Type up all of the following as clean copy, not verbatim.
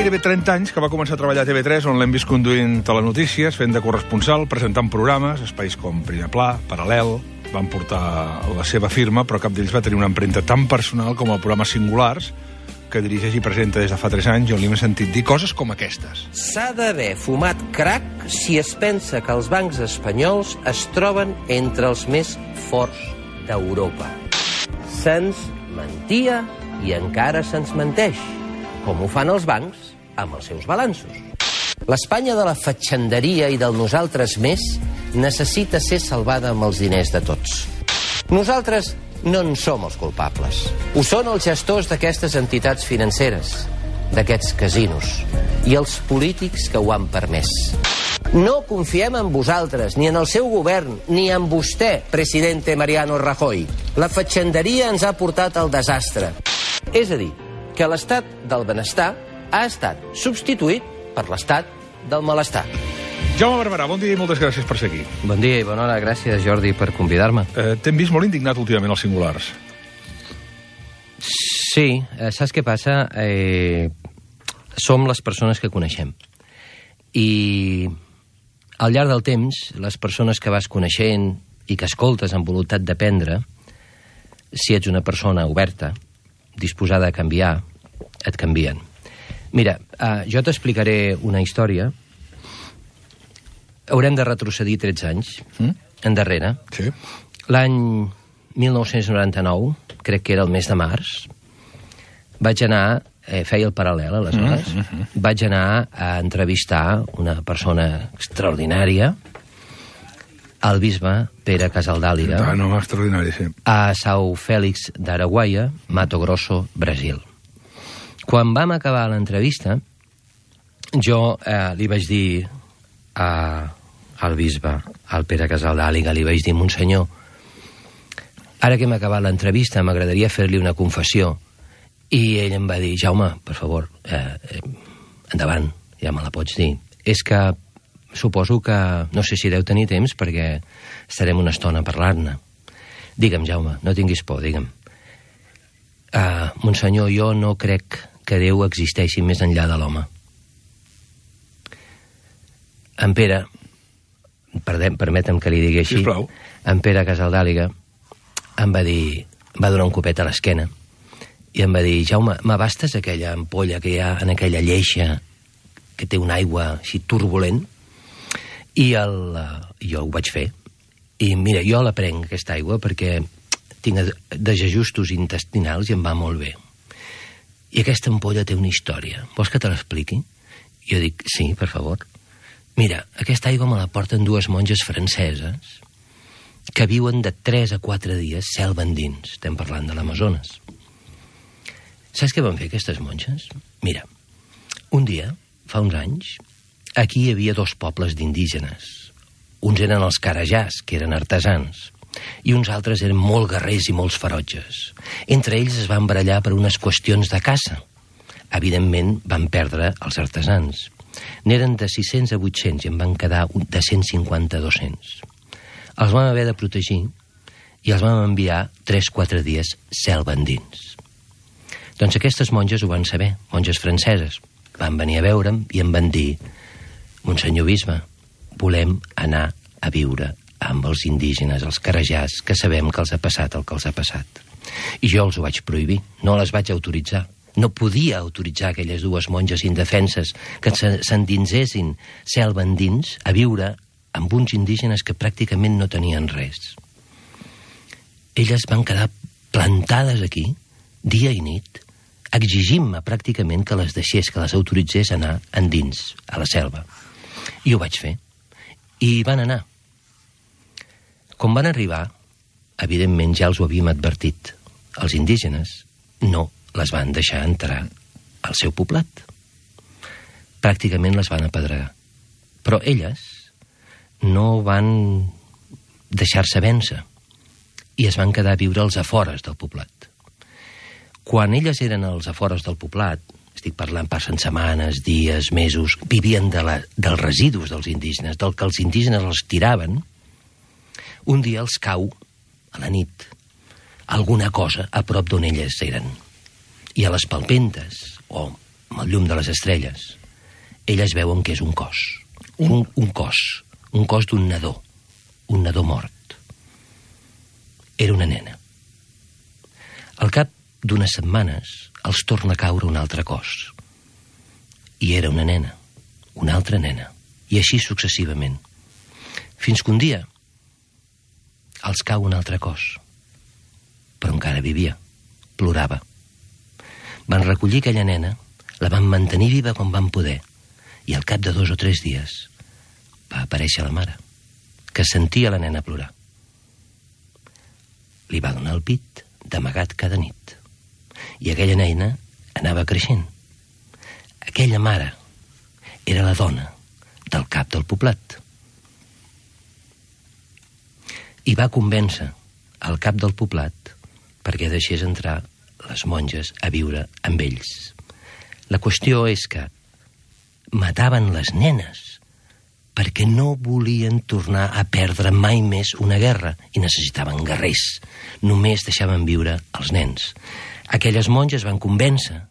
gairebé 30 anys que va començar a treballar a TV3, on l'hem vist conduint telenotícies, fent de corresponsal, presentant programes, espais com Primer Pla, Paral·lel, van portar la seva firma, però cap d'ells va tenir una empremta tan personal com el programa Singulars, que dirigeix i presenta des de fa 3 anys, on li hem sentit dir coses com aquestes. S'ha d'haver fumat crack si es pensa que els bancs espanyols es troben entre els més forts d'Europa. Se'ns mentia i encara se'ns menteix, com ho fan els bancs amb els seus balanços. L'Espanya de la fatxenderia i del nosaltres més necessita ser salvada amb els diners de tots. Nosaltres no en som els culpables. Ho són els gestors d'aquestes entitats financeres, d'aquests casinos, i els polítics que ho han permès. No confiem en vosaltres, ni en el seu govern, ni en vostè, presidente Mariano Rajoy. La fatxenderia ens ha portat al desastre. És a dir, que l'estat del benestar ha estat substituït per l'estat del malestar. Jaume Barberà, bon dia i moltes gràcies per ser aquí. Bon dia i bona hora, gràcies Jordi per convidar-me. T'hem vist molt indignat últimament als Singulars. Sí, saps què passa? Som les persones que coneixem. I al llarg del temps, les persones que vas coneixent i que escoltes amb voluntat d'aprendre, si ets una persona oberta, disposada a canviar, et canvien. Mira, jo t'explicaré una història. Haurem de retrocedir 13 anys endarrere. Sí. L'any 1999, crec que era el mes de març, vaig anar, feia el paral·lel aleshores, vaig anar a entrevistar una persona extraordinària, el bisbe Pere Casaldàliga, extraordinari, sí. a São Félix d'Araguaia, Mato Grosso, Brasil. Quan vam acabar l'entrevista, jo li vaig dir al bisbe, al Pere Casaldàliga, li vaig dir: Monsenyor, ara que hem acabat l'entrevista m'agradaria fer-li una confessió. I ell em va dir: Jaume, per favor, endavant, ja me la pots dir. És que suposo que no sé si deu tenir temps perquè estarem una estona a parlar-ne. Digue'm, Jaume, no tinguis por, digue'm. Monsenyor, jo no crec que Déu existeixi més enllà de l'home. En Pere, permetem que li digui així, sisplau. en Pere Casaldàliga em va dir, va donar un copet a l'esquena i em va dir: Jaume, m'abastes aquella ampolla que hi ha en aquella lleixa que té una aigua així turbulent? I jo ho vaig fer. I mira, jo la prenc, aquesta aigua, perquè tinc desajustos intestinals i em va molt bé. I aquesta ampolla té una història. Vols que te l'expliqui? Jo dic: sí, per favor. Mira, aquesta aigua me la porten 2 monges franceses que viuen de 3 a 4 dies selva endins. Estem parlant de l'Amazones. Saps què van fer aquestes monges? Mira, un dia, fa uns anys, aquí hi havia 2 pobles d'indígenes. Uns eren els carajàs, que eren artesans, i uns altres eren molt guerrers i molts ferotges. Entre ells es van barallar per unes qüestions de caça. Evidentment, van perdre els artesans. N'eren de 600 a 800 i en van quedar de 150 a 200. Els vam haver de protegir i els vam enviar 3-4 dies selva endins. Doncs aquestes monges ho van saber, monges franceses. Van venir a veure'm i em van dir: Monsenyor bisbe, volem anar a viure amb els indígenes, els carajàs, que sabem que els ha passat el que els ha passat. I jo els ho vaig prohibir, no les vaig autoritzar. No podia autoritzar aquelles 2 monges indefenses que s'endinsessin selva endins a viure amb uns indígenes que pràcticament no tenien res. Elles van quedar plantades aquí, dia i nit, exigint-me pràcticament que les deixés, que les autoritzés a anar endins, a la selva. I ho vaig fer. I van anar. Quan van arribar, evidentment ja els ho havíem advertit, els indígenes no les van deixar entrar al seu poblat. Pràcticament les van apedregar. Però elles no van deixar-se vèncer i es van quedar a viure als afores del poblat. Quan elles eren als afores del poblat, estic parlant, passen setmanes, dies, mesos, vivien dels residus dels indígenes, del que els indígenes els tiraven, un dia els cau, a la nit, alguna cosa a prop d'on elles eren. I a les palpentes, o amb el llum de les estrelles, elles veuen que és un cos. Un cos d'un nadó mort. Era una nena. Al cap d'unes setmanes els torna a caure un altre cos. I era una nena, una altra nena, i així successivament. Fins que un dia els cau un altre cos, però encara vivia, plorava. Van recollir aquella nena, la van mantenir viva com van poder, i al cap de 2 o 3 dies va aparèixer la mare, que sentia la nena plorar. Li va donar el pit d'amagat cada nit, i aquella nena anava creixent. Aquella mare era la dona del cap del poblat. I va convèncer el cap del poblat perquè deixés entrar les monges a viure amb ells. La qüestió és que mataven les nenes perquè no volien tornar a perdre mai més una guerra i necessitaven guerrers. Només deixaven viure els nens. Aquelles monges van convèncer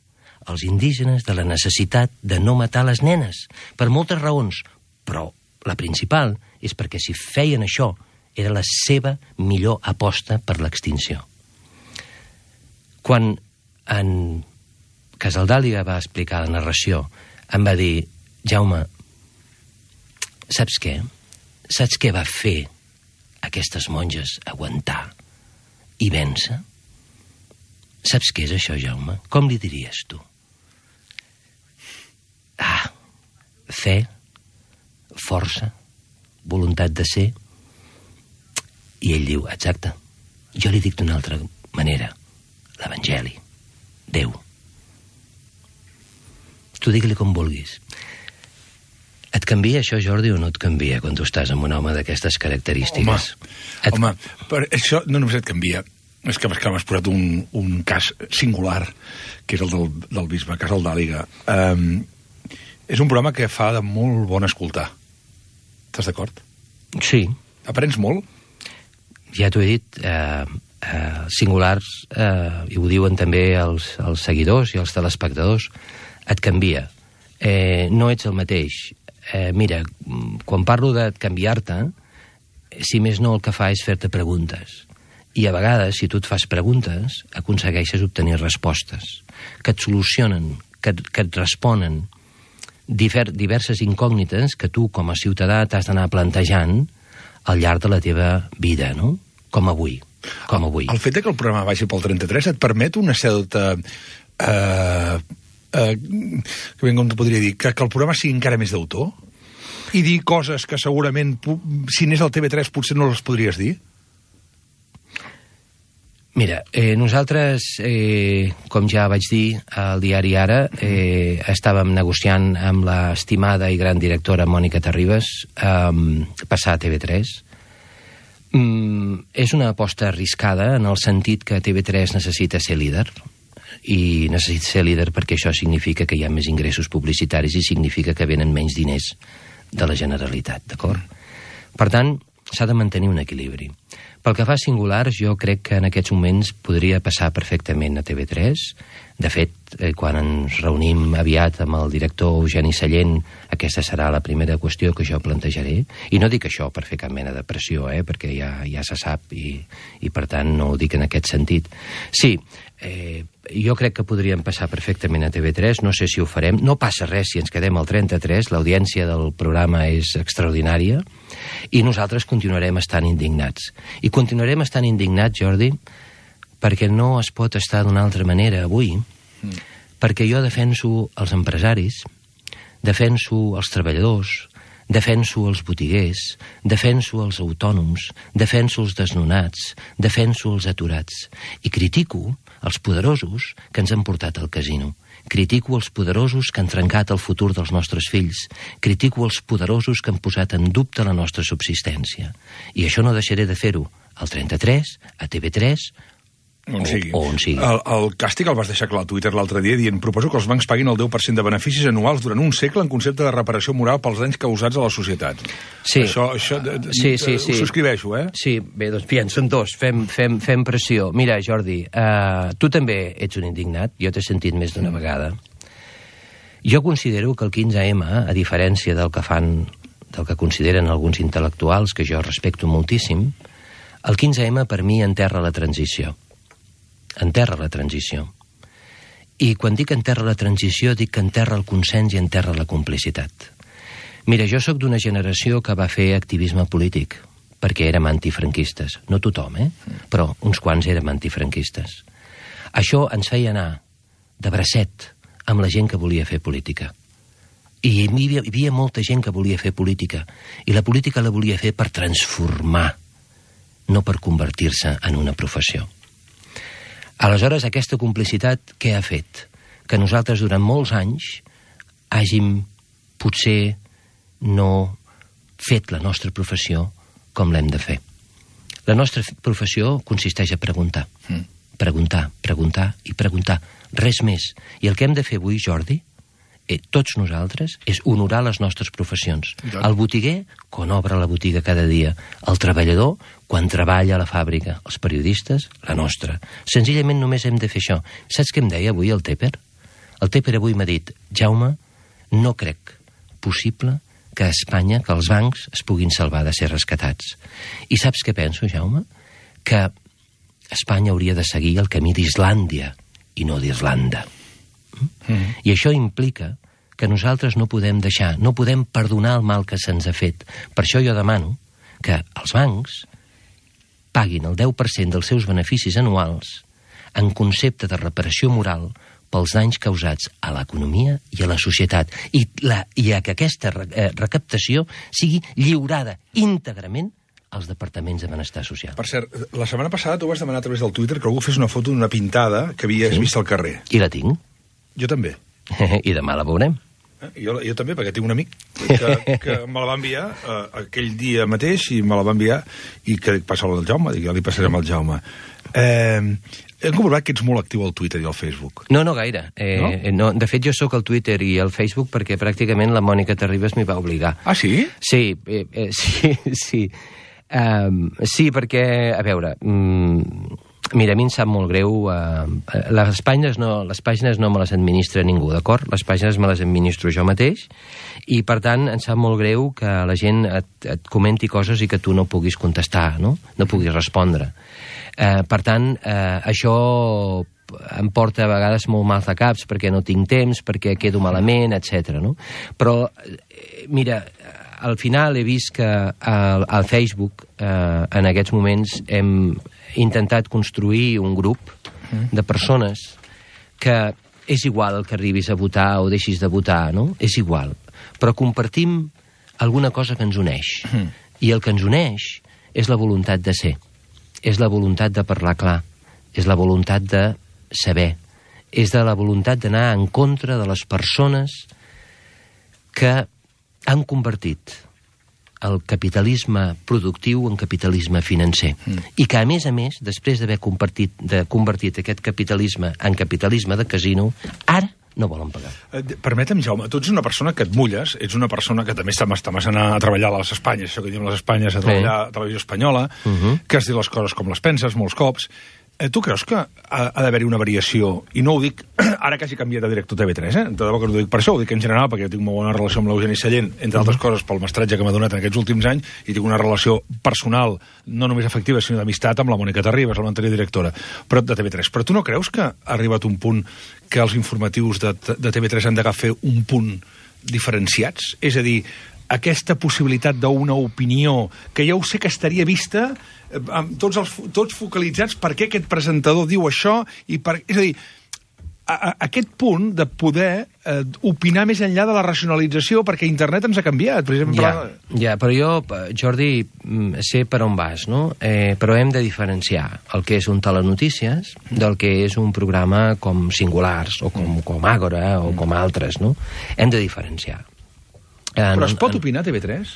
els indígenes de la necessitat de no matar les nenes, per moltes raons, però la principal és perquè si feien això era la seva millor aposta per l'extinció. Quan en Casaldàliga va explicar la narració, em va dir: Jaume, saps què? Saps què va fer aquestes monges aguantar i vèncer? Saps què és això, Jaume? Com li diries tu? Fe, força, voluntat de ser. I ell diu, exacte, jo li dic d'una altra manera, l'Evangeli, Déu. Tu digue-li com vulguis. Et canvia això, Jordi, o no et canvia quan tu estàs amb un home d'aquestes característiques? Home, per això no només et canvia, és que m'has posat un cas singular, que és el del bisbe Casaldàliga. És un programa que fa de molt bon escoltar. Estàs d'acord? Sí. Aprens molt? Ja t'ho he dit, singulars, i ho diuen també els seguidors i els telespectadors, et canvia. No ets el mateix. Mira, quan parlo de canviar-te, si més no el que fa és fer-te preguntes. I a vegades, si tu et fas preguntes, aconsegueixes obtenir respostes que et solucionen, que et responen diverses incògnites que tu, com a ciutadà, t'has d'anar plantejant al llarg de la teva vida, no? Com avui. El fet que el programa vagi pel 33 et permet una certa... que ben com te podria dir, que el programa sigui encara més d'autor? I dir coses que segurament, si anés al TV3, potser no les podries dir? Mira, nosaltres, com ja vaig dir al diari Ara, estàvem negociant amb l'estimada i gran directora Mònica Terribas passar a TV3. És una aposta arriscada en el sentit que TV3 necessita ser líder, i necessita ser líder perquè això significa que hi ha més ingressos publicitaris i significa que venen menys diners de la Generalitat, d'acord? Per tant, s'ha de mantenir un equilibri. Pel que fa a singulars, jo crec que en aquests moments podria passar perfectament a TV3. De fet, quan ens reunim aviat amb el director Eugeni Sallent, aquesta serà la primera qüestió que jo plantejaré. I no dic això per fer cap mena de pressió, perquè ja se sap i per tant no ho dic en aquest sentit. Sí, jo crec que podríem passar perfectament a TV3, no sé si ho farem. No passa res si ens quedem al 33, l'audiència del programa és extraordinària i nosaltres continuarem estant indignats. I continuarem estant indignats, Jordi, perquè no es pot estar d'una altra manera avui, perquè jo defenso els empresaris, defenso els treballadors, defenso els botiguers, defenso els autònoms, defenso els desnonats, defenso els aturats i critico els poderosos que ens han portat al casino. Critico els poderosos que han trencat el futur dels nostres fills. Critico els poderosos que han posat en dubte la nostra subsistència. I això no deixaré de fer-ho al 33, a TV3 on sigui. On sigui. El càstig el vas deixar clar al Twitter l'altre dia dient: proposo que els bancs paguin el 10% de beneficis anuals durant un segle en concepte de reparació moral pels danys causats a la societat. Sí. Això sí. Ho subscriveixo, Sí, bé, doncs bien, són dos, fem pressió. Mira, Jordi, tu també ets un indignat, jo t'he sentit més d'una vegada. Jo considero que el 15M, a diferència del que consideren alguns intel·lectuals, que jo respecto moltíssim, el 15M per mi enterra la transició. Enterra la transició. I quan dic enterra la transició, dic que enterra el consens i enterra la complicitat. Mira, jo sóc d'una generació que va fer activisme polític, perquè érem antifranquistes. No tothom, però uns quants érem antifranquistes. Això ens feia anar de bracet amb la gent que volia fer política. I hi havia molta gent que volia fer política, i la política la volia fer per transformar, no per convertir-se en una professió. Aleshores, aquesta complicitat què ha fet? Que nosaltres durant molts anys hàgim potser no fet la nostra professió com l'hem de fer. La nostra professió consisteix a preguntar. Preguntar, preguntar i preguntar. Res més. I el que hem de fer avui, Jordi, tots nosaltres, és honorar les nostres professions. El botiguer, quan obre la botiga cada dia. El treballador, quan treballa a la fàbrica. Els periodistes, la nostra. Senzillament només hem de fer això. Saps què em deia avui el Tepper? El Tepper avui m'ha dit: Jaume, no crec possible que a Espanya, que els bancs es puguin salvar de ser rescatats. I saps què penso, Jaume? Que Espanya hauria de seguir el camí d'Islàndia i no d'Irlanda. I això implica que nosaltres no podem deixar, no podem perdonar el mal que se'ns ha fet. Per això jo demano que els bancs paguin el 10% dels seus beneficis anuals en concepte de reparació moral pels danys causats a l'economia i a la societat, i que aquesta recaptació sigui lliurada íntegrament als departaments de benestar social. Per cert, la setmana passada tu vas demanar a través del Twitter que algú fes una foto d'una pintada que havies vist al carrer. I la tinc. Jo també. I demà la veurem. Jo també, perquè tinc un amic que me la va enviar aquell dia mateix, i me la va enviar, i que dic, passa-la al Jaume, dic, ja li passarem al Jaume. Hem comprovat que ets molt actiu al Twitter i al Facebook. No gaire. No? De fet, jo sóc al Twitter i al Facebook perquè pràcticament la Mònica Terribas m'hi va obligar. Ah, sí? Sí, sí. Sí, perquè, a veure, mira, a mi em sap molt greu, les pàgines no me les administra ningú, d'acord? Les pàgines me les administro jo mateix, i per tant em sap molt greu que la gent et comenti coses i que tu no puguis contestar, no puguis respondre. Per tant, això em porta a vegades molt mal de caps, perquè no tinc temps, perquè quedo malament, etc. No? Però, mira, al final he vist que al Facebook, en aquests moments, hem intentat construir un grup de persones que és igual el que arribis a votar o deixis de votar, no? És igual. Però compartim alguna cosa que ens uneix. I el que ens uneix és la voluntat de ser. És la voluntat de parlar clar. És la voluntat de saber. És de la voluntat d'anar en contra de les persones que han convertit el capitalisme productiu en capitalisme financer. I que, a més, després d'haver convertit aquest capitalisme en capitalisme de casino, ara no volen pagar. Permetem, Jaume, tu ets una persona que et mulles, ets una persona que també està anar a treballar a les Espanyes, això que diem les Espanyes, a treballar a Televisió Espanyola, que has dit les coses com les penses molts cops. Tu creus que ha d'haver-hi una variació? I no ho dic ara que hagi canviat de director TV3, De debò que no ho dic per això, ho dic en general, perquè jo tinc molt bona relació amb l'Eugeni Sallent, entre altres coses pel mestratge que m'ha donat en aquests últims anys, i tinc una relació personal, no només afectiva, sinó d'amistat amb la Mònica Terribas, l'anterior directora de TV3. Però tu no creus que ha arribat un punt que els informatius de TV3 han d'agafar un punt diferenciats? És a dir, aquesta possibilitat d'una opinió que ja ho sé que estaria vista tots focalitzats per què aquest presentador diu això, és a dir, aquest punt de poder opinar més enllà de la racionalització, perquè internet ens ha canviat, per exemple. Ja, però jo, Jordi, sé per on vas, no? Però hem de diferenciar el que és un telenotícies del que és un programa com Singulars, o com Àgora, o com altres, no? Hem de diferenciar. Però es pot opinar a TV3?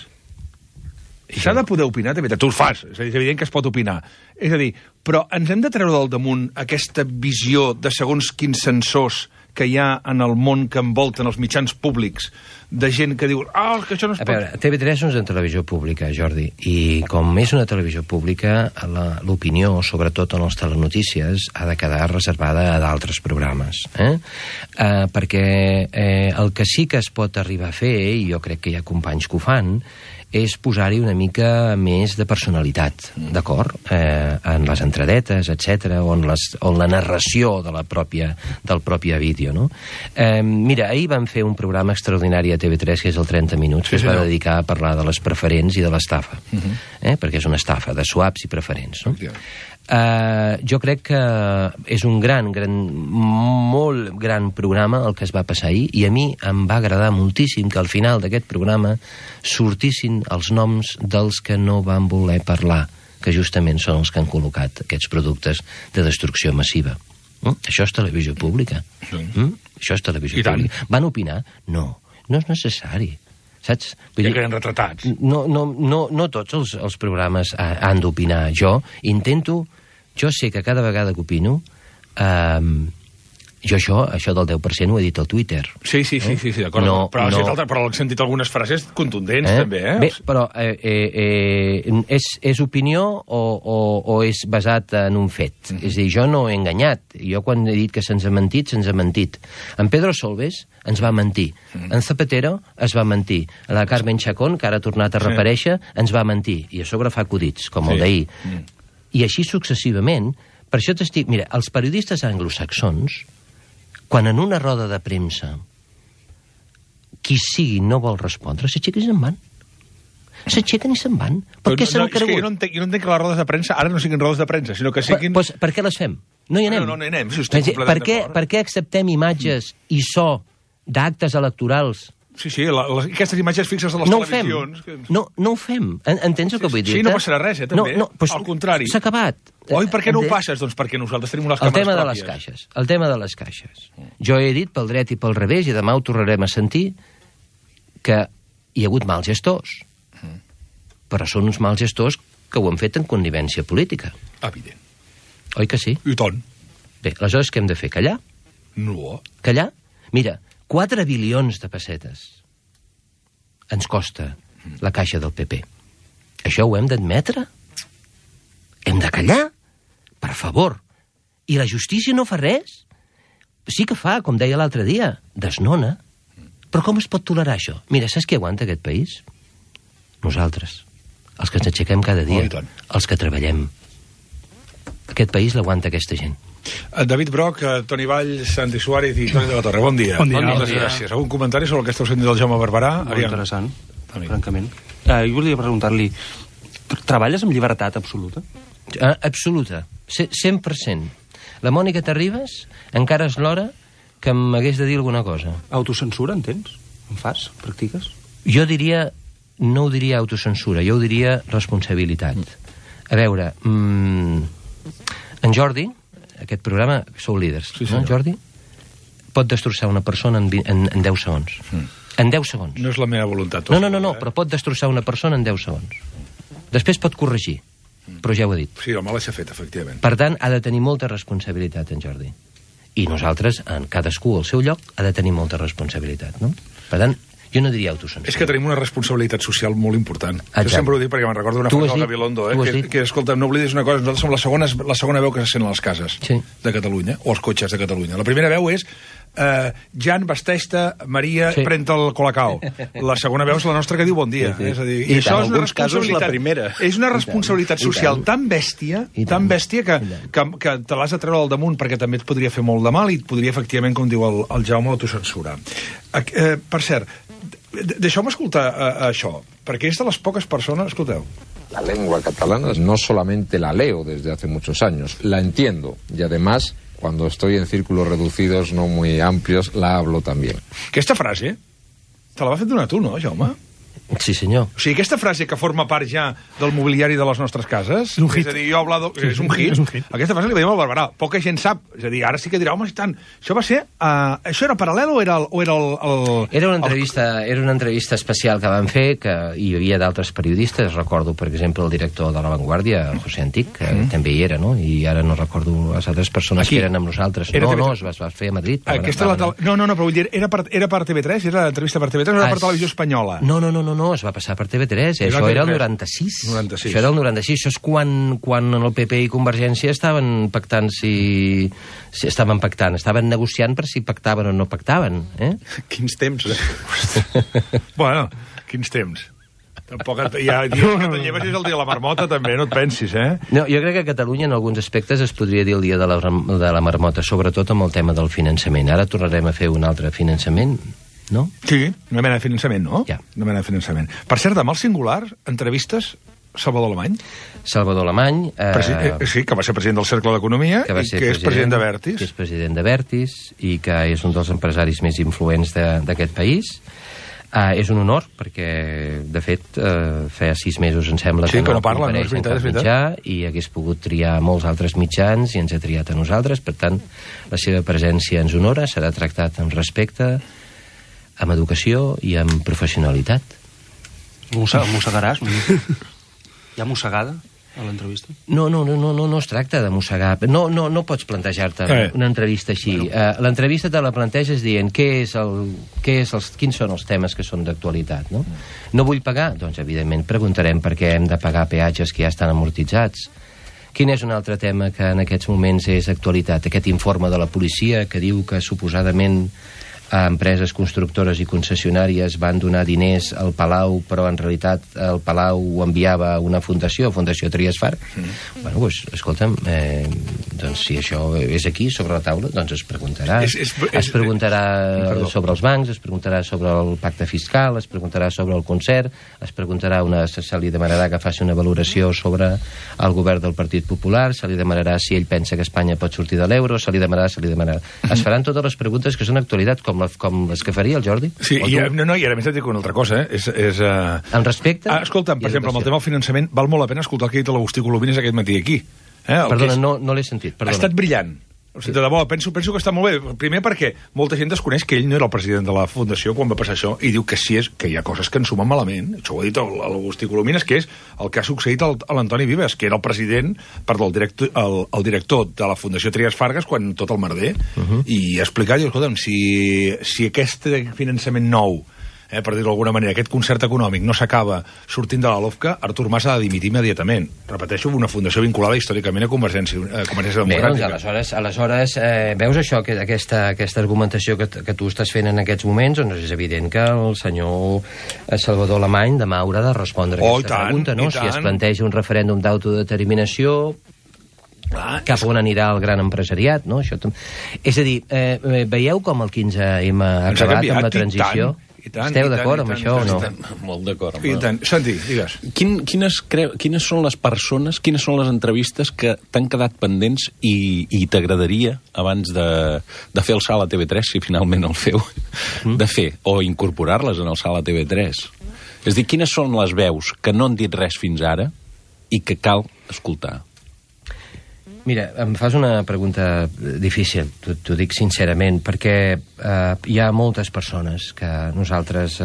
S'ha de poder opinar a TV3. Tu ho fas, és evident que es pot opinar. És a dir, però ens hem de treure del damunt aquesta visió de segons quins censors que hi ha en el món que envolten els mitjans públics, de gent que diu, que això no es pot... A veure, TV3 no és una televisió pública, Jordi, i com és una televisió pública, l'opinió, sobretot en les telenotícies, ha de quedar reservada a d'altres programes. Perquè el que sí que es pot arribar a fer, i jo crec que hi ha companys que ho fan, és posar-hi una mica més de personalitat, d'acord? En les entradetes, etc, o en la narració del propi vídeo, no? Mira, ahir vam fer un programa extraordinari a TV3, que és el 30 minuts, que es va dedicar a parlar de les preferents i de l'estafa, perquè és una estafa de swaps i preferents, no? Jo crec que és un molt gran programa el que es va passar ahir, i a mi em va agradar moltíssim que al final d'aquest programa sortissin els noms dels que no van voler parlar, que justament són els que han col·locat aquests productes de destrucció massiva. Això és televisió pública. Això és televisió pública. Van opinar? No és necessari. Saps? Ja queden retratats. No tots els programes han d'opinar. Jo sé que cada vegada que opino, jo això del 10% ho he dit al Twitter. Sí, d'acord. Però he sentit algunes frases contundents, també, Bé, però és opinió o és basat en un fet? És a dir, jo no he enganyat. Jo quan he dit que se'ns ha mentit, se'ns ha mentit. En Pedro Solbes ens va mentir. En Zapatero es va mentir. La Carmen Chacón, que ara ha tornat a reaparèixer, ens va mentir. I a sobre fa acudits, com el d'ahir. I així successivament. Per això t'estic... Mira, els periodistes anglosaxons, quan en una roda de premsa qui sigui no vol respondre, s'aixequen i se'n van. S'aixequen i se'n van. Per què s'han cregut? Jo no entenc que les rodes de premsa ara no siguin rodes de premsa, sinó que siguin... Per què les fem? No hi anem. No hi anem, si estic completament d'acord. Per què acceptem imatges i so d'actes electorals? Sí, aquestes imatges fixes de les televisions... No ho fem. Entens el que vull dir? Sí, no passarà res, també. Al contrari. S'ha acabat. Oi, per què no ho passes? Doncs perquè nosaltres tenim les càmeres pròpies. El tema de les caixes. Jo he dit pel dret i pel revés, i demà ho tornarem a sentir, que hi ha hagut mals gestors. Però són uns mals gestors que ho han fet en connivència política. Evident. Oi que sí? I tant. Bé, aleshores què hem de fer? Callar? No. Callar? Mira, 4 bilions de pessetes ens costa la caixa del PP. Això ho hem d'admetre? Hem de callar? Per favor. I la justícia no fa res? Sí que fa, com deia l'altre dia, desnona. Però com es pot tolerar això? Mira, saps qui aguanta aquest país? Nosaltres. Els que ens aixequem cada dia. Els que treballem. Aquest país l'aguanta aquesta gent. David Broc, Toni Vall, Santi Suárez i Toni de la Torre. Bon dia. Moltes gràcies. Algun comentari sobre el que esteu sentint del Jaume Barberà? Molt interessant, francament. Jo volia preguntar-li, treballes amb llibertat absoluta? Absoluta. 100%. La Mònica Terribas encara és l'hora que m'hagués de dir alguna cosa. Autocensura, entens? En fas? Practiques? Jo diria... No ho diria autocensura, jo ho diria responsabilitat. A veure, en Jordi... Aquest programa, sou líders, no, Jordi? Pot destrossar una persona en 10 segons. En 10 segons. No és la meva voluntat. No, però pot destrossar una persona en 10 segons. Després pot corregir, però ja ho he dit. Sí, el mal s'ha fet, efectivament. Per tant, ha de tenir molta responsabilitat, en Jordi. I nosaltres, en cadascú al seu lloc, ha de tenir molta responsabilitat, no? Per tant, jo no diria autocensura. És que tenim una responsabilitat social molt important. Jo sempre ho dic perquè me'n recordo una frase del Gabilondo, que escolta, no oblidis una cosa, nosaltres som la segona veu que se sent a les cases de Catalunya, o als cotxes de Catalunya. La primera veu és Jan, vesteix-te, Maria, pren el colacao. La segona veu és la nostra que diu bon dia. És a dir, i això és una responsabilitat. És una responsabilitat social tan bèstia que te l'has de treure al damunt perquè també et podria fer molt de mal i et podria, efectivament, com diu el Jaume, autocensurar. Per cert, deixeu-me escoltar això, perquè és de les poques persones... Escolteu. La lengua catalana no solamente la leo desde hace muchos años, la entiendo y además cuando estoy en círculos reducidos no muy amplios la hablo también. Aquesta frase te la va fer donar tu, no, Jaume? Sí, senyor. O sigui, aquesta frase que forma part ja del mobiliari de les nostres cases... És un hit. És a dir, jo hablado... És un hit. És un hit. Aquesta frase li veiem al Barberà. Poca gent sap. És a dir, ara sí que dirà, home, tant... Això va ser... això era paral·lel o era el... Era una entrevista especial que vam fer, que hi havia d'altres periodistes. Recordo, per exemple, el director de La Vanguardia, José Antic, que també hi era, no? I ara no recordo les altres persones que eren amb nosaltres. No, es va fer a Madrid. Aquesta No, però vull dir, era per TV3? Era l'entrevista per TV3 o era per Televisió Espanyola? No, es va passar per TV3. Això era el 96. Això era el 96. Això és quan el PP i Convergència estaven pactant estaven negociant per si pactaven o no pactaven. Quins temps, Bueno, quins temps. Tampoc ja que te'n lleves és el dia de la marmota, també, no et pensis, No, jo crec que a Catalunya, en alguns aspectes, es podria dir el dia de la marmota, sobretot amb el tema del finançament. Ara tornarem a fer un altre finançament, no? Sí, una mena de finançament, no? Ja. Una mena de finançament. Per cert, amb el singular, entrevistes Salvador Alemany. Salvador Alemany... sí, que va ser president del Cercle d'Economia i que és president de Vertis. Que és president de Vertis i que és un dels empresaris més influents d'aquest país. És un honor, perquè, de fet, feia 6 mesos, em sembla, que no parla, compareix en cap mitjà, i hagués pogut triar molts altres mitjans i ens ha triat a nosaltres. Per tant, la seva presència ens honora, serà tractat amb respecte, amb educació i amb professionalitat. Mossegaràs? Hi ha mossegada a l'entrevista? No es tracta de mossegar. No pots plantejar-te una entrevista així. L'entrevista te la planteges dient quins són els temes que són d'actualitat, no? No vull pagar? Doncs, evidentment, preguntarem per què hem de pagar peatges que ja estan amortitzats. Quin és un altre tema que en aquests moments és actualitat? Aquest informe de la policia que diu que suposadament a empreses constructores i concessionàries van donar diners al Palau, però en realitat el Palau ho enviava a una fundació, Fundació Trias Farg. Bueno, doncs, escolta'm, doncs si això és aquí, sobre la taula, doncs es preguntarà. Es preguntarà sobre els bancs, es preguntarà sobre el pacte fiscal, es preguntarà sobre el concert, es preguntarà se li demanarà que faci una valoració sobre el govern del Partit Popular, se li demanarà si ell pensa que Espanya pot sortir de l'euro, se li demanarà. Es faran totes les preguntes que són actualitat, com les que faria el Jordi? Sí, i ara més et dic una altra cosa, En respecte... Escolta'm, per exemple, amb el tema del finançament, val molt la pena escoltar el que ha dit l'Agustí Colomines aquest matí aquí. Perdona, no l'he sentit. Ha estat brillant. O sigui, de debò, penso que està molt bé. Primer perquè molta gent desconeix que ell no era el president de la Fundació quan va passar això i diu que sí que hi ha coses que ens sumen malament. Això ho ha dit l'Agustí Colomines, que és el que ha succeït a l'Antoni Vives, que era el president, el director de la Fundació Trias Fargas quan tot el merder, i ha explicat, escolta'm, si aquest finançament nou, per dir-ho d'alguna manera, aquest concert econòmic no s'acaba sortint de la LOFCA, Artur Mas ha de dimitir immediatament. Repeteixo, una fundació vinculada històricament a Convergència Democràtica. Bé, doncs aleshores veus això, aquesta argumentació que tu estàs fent en aquests moments, doncs és evident que el senyor Salvador Alemany demà haurà de respondre aquesta pregunta, no? Si es planteja un referèndum d'autodeterminació, cap on anirà el gran empresariat, no? És a dir, veieu com el 15M ha acabat amb la transició? Esteu d'acord amb això o no? Molt d'acord. Santi, digues. Quines són les persones, quines són les entrevistes que t'han quedat pendents i t'agradaria, abans de fer el salt a TV3, si finalment el feu, de fer, o incorporar-les en el salt a TV3? És a dir, quines són les veus que no han dit res fins ara i que cal escoltar? Mira, em fas una pregunta difícil, t'ho dic sincerament, perquè hi ha moltes persones que nosaltres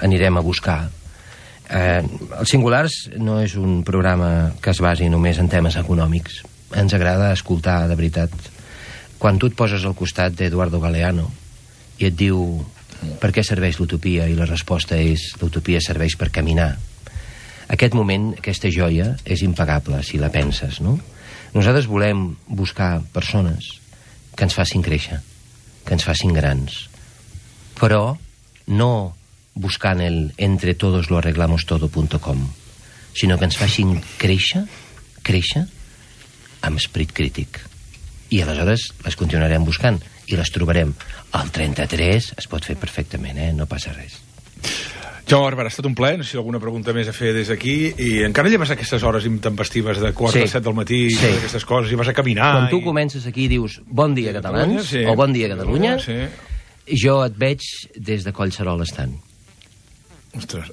anirem a buscar. Els Singulars no és un programa que es basi només en temes econòmics. Ens agrada escoltar, de veritat. Quan tu et poses al costat d'Eduardo Galeano i et diu per què serveix l'utopia, i la resposta és l'utopia serveix per caminar, aquest moment, aquesta joia, és impagable, si la penses, no? Nosaltres volem buscar persones que ens facin créixer, que ens facin grans, però no buscant el entretodosloarreglamostodo.com, sinó que ens facin créixer amb esperit crític. I aleshores les continuarem buscant i les trobarem. Al 33 es pot fer perfectament, no passa res. Jaume Barberà, ha estat un plaer. No sé si alguna pregunta més a fer des d'aquí. I encara lleves aquestes hores intempestives de quart a 7 del matí, i aquestes coses, i vas a caminar. Quan tu comences aquí i dius bon dia, catalans, o bon dia, Catalunya, jo et veig des de Collserola estant. Ostres,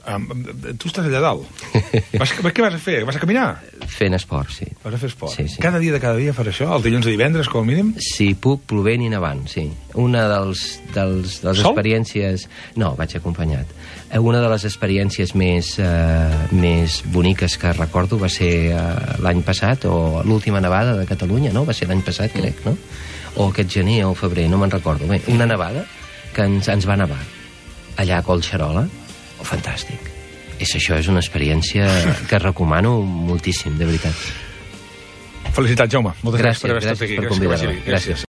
tu estàs allà dalt. Què vas a fer? Vas a caminar? Fent esport, sí. Vas a fer esport? Sí, sí. Cada dia faràs això? El dilluns a divendres, com a mínim? Si puc, plovent i nevant, sí. Una de les experiències... No, vaig acompanyat. Una de les experiències més boniques que recordo va ser l'any passat, o l'última nevada de Catalunya, no? Va ser l'any passat, crec, no? O aquest gener o febrer, no me'n recordo. Bé, una nevada que ens va nevar allà a Collserola. Fantàstic. Això és una experiència que recomano moltíssim, de veritat. Felicitats, Jaume. Moltes gràcies per haver estat aquí. Gràcies per convidar-me. Gràcies.